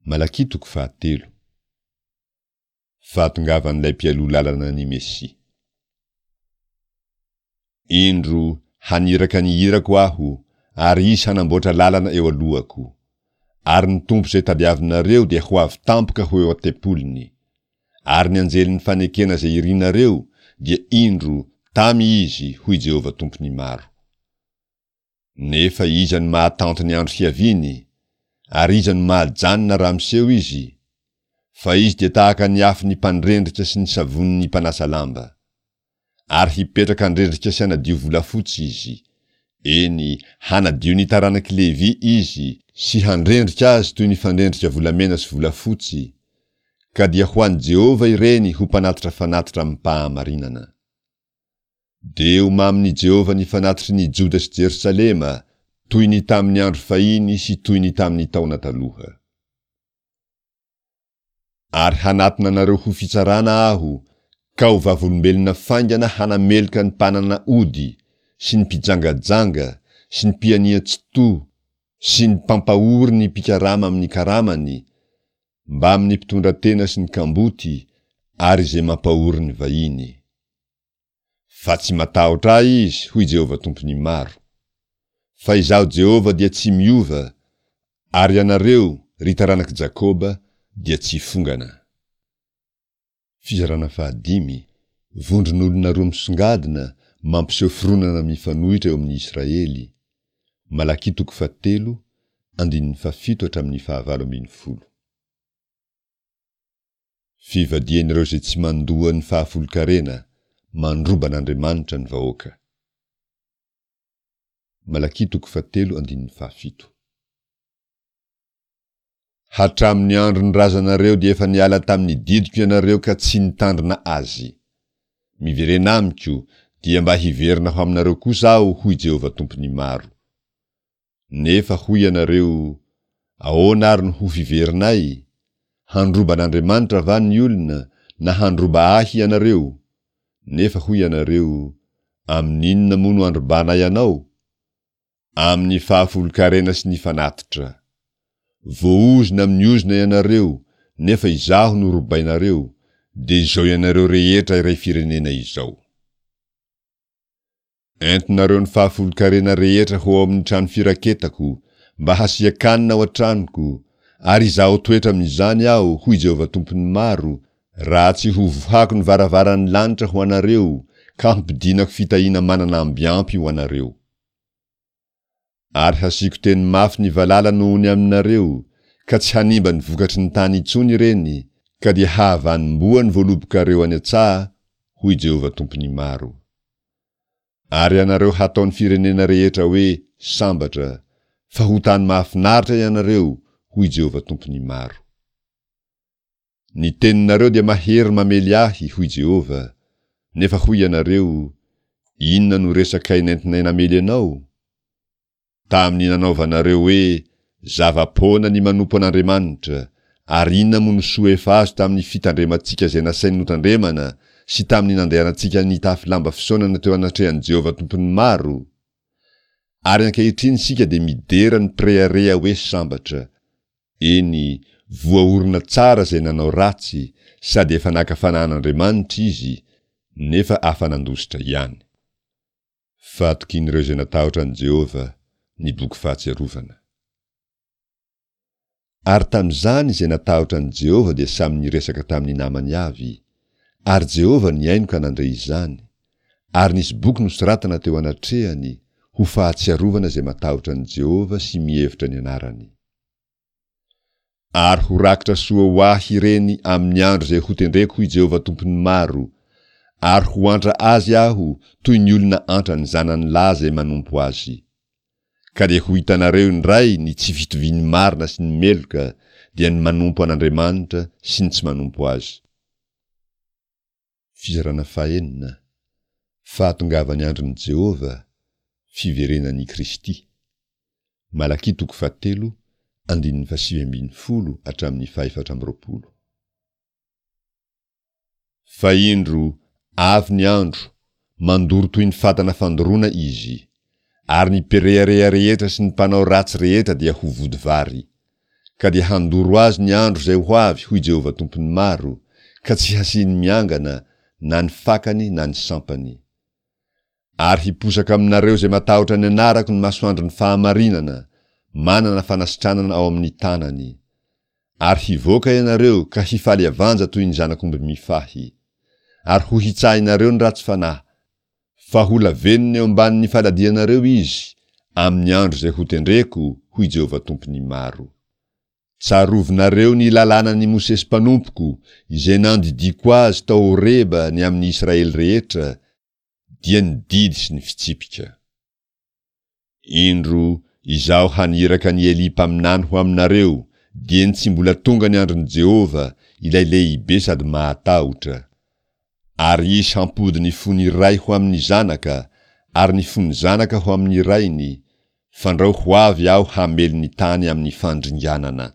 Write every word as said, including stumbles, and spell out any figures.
Malakia toko fahatelo. Fahatongavan'ilay mpialoha lalana ny Mesia. Indro, haniraka ny irako aho, ary izy hanamboatra lalana eo alohako. Ary ny Tompo izay tadiavinareo dia ho avy tampoka ho eo an-tempoliny. Ary ny anjelin'ny fanekena izay irinareo, dia indro, tamy izy, hoy Jehovah Tompon'ny maro. Nefa iza no mahatanty ny andro hiaviany? Ary iza no mahajanona raha miseho izy? Fa izy dia tahaka ny afon'ny mpandrendrika sy ny savonin'ny mpanasa lamba. Ary hipetraka handrendrika sy hanadio volafotsy izy. Eny, hanadio ny taranak'i Levy izy, sy handrendrika azy toy ny fandrendrika volamena sy volafotsy, ka dia ho an'i Jehovah ireny ho mpanatitra fanatitra amim-pahamarinana. Dia ho mamin'i Jehovah ny fanatitry ny Joda sy Jerosalema, toy ny tamin'ny andro fahiny sy toy ny tamin'ny taona taloha. Ary hanatona anareo ho fitsarana aho, ka ho vavolombelona faingana hanameloka ny mpanana ody, sy ny mpijangajanga, sy ny mpianian-tsy-to, sy ny mpampahory ny mpikarama amin'ny karamany, mbamin'ny mpitondra tena sy ny kamboty, ary izay mampahory ny vahiny. Fa tsy matahotra ahy izy, hoy Jehovah Tompon'ny maro. Fa izaho Jehovah dia tsy miova, ary ianareo, ry taranak'i Jakoba, dia tsy fongana. Fizarana fahadimy, Vondron'olona roa misongadina mampiseho fironana mifanohitra eo amin'ny Israely, Malakia toko fahatelo, andininy fahafito hatramin'ny fahavalo ambin'ny folo. Fivadihan'ireo izay tsy mandoa ny fahafolon-karena, mandroba an'Andriamanitra ny vahoaka. Malakia toko fahatelo andininy fahafito. Hatramin'ny andron'ny razanareo dia efa niala tamin'ny didiko ianareo ka tsy nitandrina azy. Miverena amiko, dia mba hiverina ho aminareo kosa aho, hoy Jehovah Tompon'ny maro. Nefa hoy ianareo, Ahoana ary no ho fiverinay? Handroba an'Andriamanitra va ny olona, na handroba ahy ianareo? Nefa hoy ianareo, Amin'inona moa no androbanay anao? Amin'ny fahafolon-karena sy ny fanatitra. Voaozona amin'ny ozona ianareo, nefa izaho no robainareo, dia izao ianareo rehetra iray firenena izao. Entinareo ny fahafolon-karena rehetra ho ao amin'ny trano firaketako, mba hasian-kanina ao an-tranoko, ary izaho toetra amin'izany aho, hoy Jehovah Tompon'ny maro, raha tsy hovohako ny varavaran'ny lanitra ho anareo, ka hampidinako fitahiana manana amby ampy ho anareo. Ary hasiako teny mafy ny valala noho ny aminareo, ka tsy hanimba ny vokatry ny tany intsony ireny, ka dia hahavanim-boa ny voalobokareo any an-tsaha, hoy Jehovah Tompon'ny maro. Ary ianareo hataon'ny firenena rehetra hoe sambatra, fa ho tany mahafinaritra ianareo, hoy Jehovah Tompon'ny maro. Ny teninareo dia mahery mamely ahy, hoy Jehovah, nefa hoy ianareo, Inona no resakay nentinay namely anao? Tamin'ny nanaovanareo hoe, Zava-poana ny manompo an'Andriamanitra, ary inona moa no soa efa azo tamin'ny fitandremantsika izay nasainy notandremana sy tamin'ny nandehanantsika nitafy lamba fisaonana teo anatrehan'i Jehovah Tompon'ny maro? Ary ankehitriny isika dia midera ny mpirehareha hoe sambatra. Eny, voaorina tsara izay nanao ratsy, sady efa naka fanahy an'Andriamanitra izy, nefa afa-nandositra ihany. Fahatokian'ireo izay natahotra an'i Jehovah, ny boky fahatsiarovana. Ary tamin'izany izay natahotra an'i Jehovah dia samy niresaka tamin'ny namany avy, ary Jehovah nihaino ka nandre izany, ary nisy boky nosoratana teo anatrehany, ho fahatsiarovana izay matahotra an'i Jehovah sy mihevitra ny anarany. Ary ho rakitra soa ho ahy ireny amin'ny andro izay hotendreko, hoy Jehovah Tompon'ny maro, ary ho antra azy aho toy ny olona antra ny zanany lahy izay manompo azy. Ka dia ho hitanareo indray ny tsy fitovian'ny marina sy ny meloka, dia ny manompo an'Andriamanitra sy ny tsy manompo azy. Fizarana fahenina, Fahatongavan'ny andron'i Jehovah, fiverenan'i Kristy. Malakia toko fahatelo, andininy fahasivy ambin'ny folo hatramin'ny fahefatra amby roapolo. Fa indro, avy ny andro, mandoro toy ny fatana fandoroana izy, ary ny mpirehareha rehetra sy ny mpanao ratsy rehetra dia ho vody vary. Ka dia handoro azy ny andro izay ho avy, hoy Jehovah Tompon'ny maro, ka tsy hasiany miangana, na ny fakany na ny sampany. Ary hiposaka aminareo izay matahotra ny anarako ny masoandron'ny fahamarinana, manana fanasitranana ao amin'ny tanany. Ary hivoaka ianareo ka hifaly avanja toy ny zanak'omby mifahy. Ary ho hitsahinareo ny ratsy fanahy, fa ho lavenona eo ambanin'ny faladianareo izy, amin'ny andro izay hotendreko, hoy Jehovah Tompon'ny maro. Tsarovinareo ny lalànan'i Mosesy mpanompoko, izay nandidiako azy tao Horeba ny amin'ny Israely rehetra, dia ny didy sy ny fitsipika. Indro, Izaho haniraka an'i Elia mpaminany ho aminareo, dieny tsy mbola tonga ny andron'i Jehovah, ilay lehibe sady mahatahotra. Ary izy hampody ny fon'ny ray ho amin'ny zanaka, ary ny fon'ny zanaka ho amin'ny rainy, fandrao ho avy Aho hamely ny tany amin'ny fandringanana.